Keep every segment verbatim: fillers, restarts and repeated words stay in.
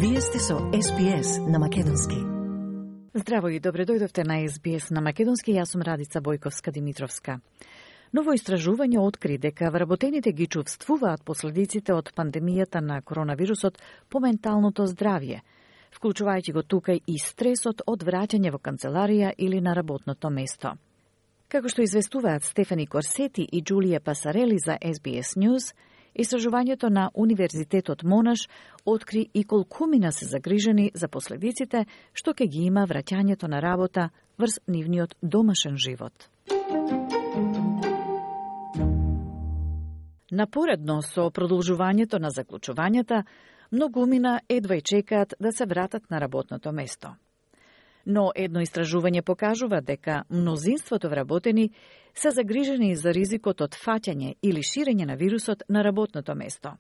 Вие сте со Ес Би Ес на Македонски. Здраво и добре дојдовте на Ес Би Ес на Македонски. Јас сум Радица Бојковска-Димитровска. Ново истражување откри дека вработените ги чувствуваат последиците од пандемијата на коронавирусот по менталното здравје, вклучувајќи го тука и стресот од враќање во канцеларија или на работното место. Како што известуваат Стефани Корсети и Джулија Пасарели за Ес Би Ес News, истражувањето на Универзитетот Монаш откри и колкумина се загрижени за последиците што ќе ги има враќањето на работа врз нивниот домашен живот. Напоредно со продолжувањето на заклучувањата, многумина едва и чекаат да се вратат на работното место. Но едно истражување покажува дека мнозинството вработени се загрижени за ризикот од фаќање или ширење на вирусот на работното место.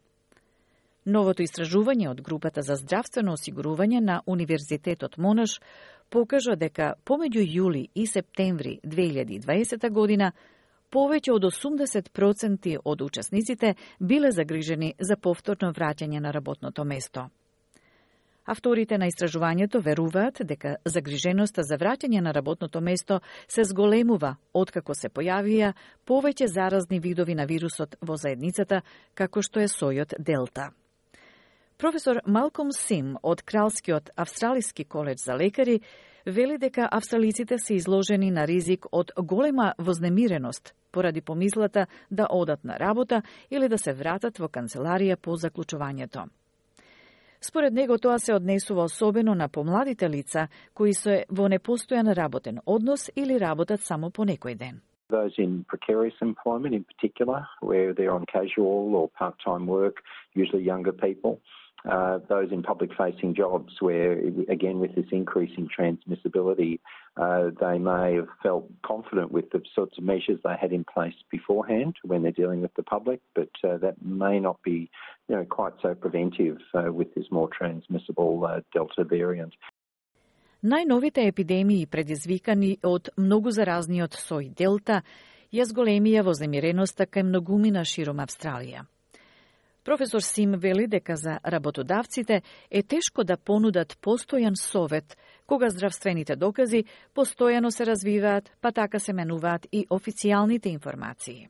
Новото истражување од групата за здравствено осигурување на Универзитетот Монаш покажа дека помеѓу јули и септември две илјади и дваесета година повеќе од осумдесет проценти од учесниците биле загрижени за повторно враќање на работното место. Авторите на истражувањето веруваат дека загриженоста за враќање на работното место се зголемува откако се појавија повеќе заразни видови на вирусот во заедницата, како што е сојот Делта. Професор Малком Сим од Кралскиот австралиски коледж за лекари вели дека австралиците се изложени на ризик од голема вознемиреност поради помислата да одат на работа или да се вратат во канцеларија по заклучувањето. Според него тоа се однесува особено на помладите лица кои се во непостојан работен однос или работат само по некој ден. Those in precarious employment in particular, where they're on casual or part-time work, usually younger people. Uh, those in public-facing jobs where, again, with this increasing transmissibility, uh, they may have felt confident with the sorts of measures they had in place beforehand when they're dealing with the public, but uh, that may not be, you know, quite so preventive uh, with this more transmissible uh, Delta variant. Најновите епидемии предизвикани од многу заразниот сој Делта ја зголемија вознемиреноста кај многумина широм Австралија. Професор Сим вели дека за работодавците е тешко да понудат постојан совет, кога здравствените докази постојано се развиваат, па така се менуваат и официјалните информации.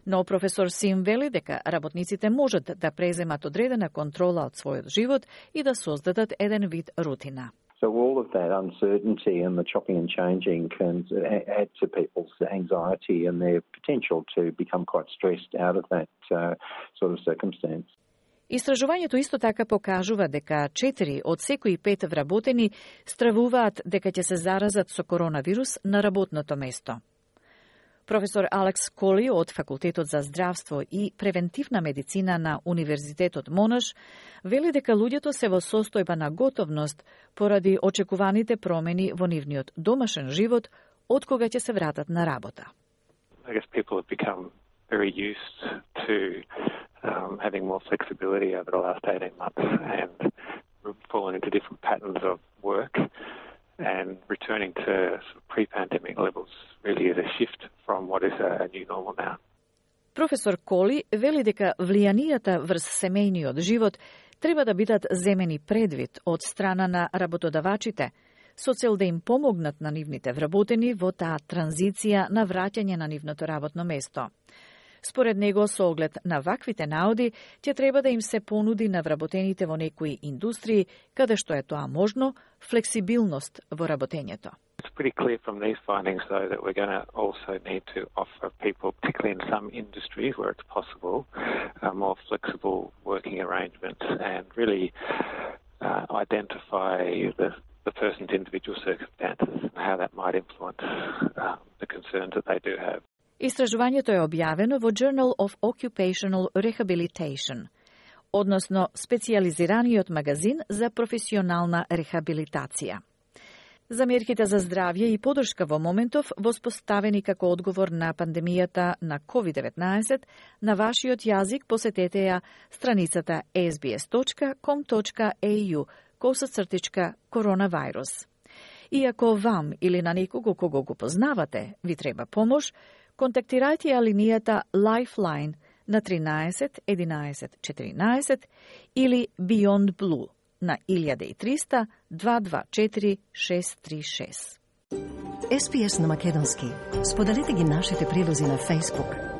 Но професор Сим вели дека работниците можат да преземат одредена контрола од својот живот и да создадат еден вид рутина. So all of that uncertainty and the chopping and changing can add to people's anxiety and their potential to become quite stressed out of that uh, sort of circumstance. Истражувањето исто така покажува дека четири од секои пет вработени стравуваат дека ќе се заразат со коронавирус на работното место. Професор Алекс Коли од Факултетот за здравство и превентивна медицина на Универзитетот Монаш вели дека луѓето се во состојба на готовност поради очекуваните промени во нивниот домашен живот од кога ќе се вратат на работа. I guess people have become very used to um, having more flexibility over the last eighteen months and fallen into different patterns of work. And returning to pre-pandemic levels really is a shift from what is a new normal now. Професор Коли вели дека влијанијата врз семејниот живот треба да бидат земени предвид од страна на работодавачите, со цел да им помогнат на нивните вработени во таа транзиција на враќање на нивното работно место. Според него, со оглед на ваквите наоди, ќе треба да им се понуди на вработените во некои индустрии, каде што е тоа можно, флексибилност во работењето. It's pretty clear from these findings, though, that we're going to also need to offer people, particularly in some industries where it's possible, uh, more flexible working arrangements and really uh, identify the, the person's individual circumstances and how that might influence uh, the concerns that they do have. Истражувањето е објавено во Journal of Occupational Rehabilitation, односно специјализираниот магазин за професионална рехабилитација. Замерките за здравје и подршка во моментов воспоставени како одговор на пандемијата на ковид деветнаесет, на вашиот јазик посетете ја страницата ес би ес точка ком точка ей ю косацртичка коронавирус. И ако вам или на некого кого го познавате ви треба помош, контактирајте ја линијата Lifeline на тринаесет единаесет четиринаесет или Beyond Blue на илјада и триста дваесет и четири шест три шест. Ес Пи Ес на македонски. Споделете ги нашите прилози на Facebook,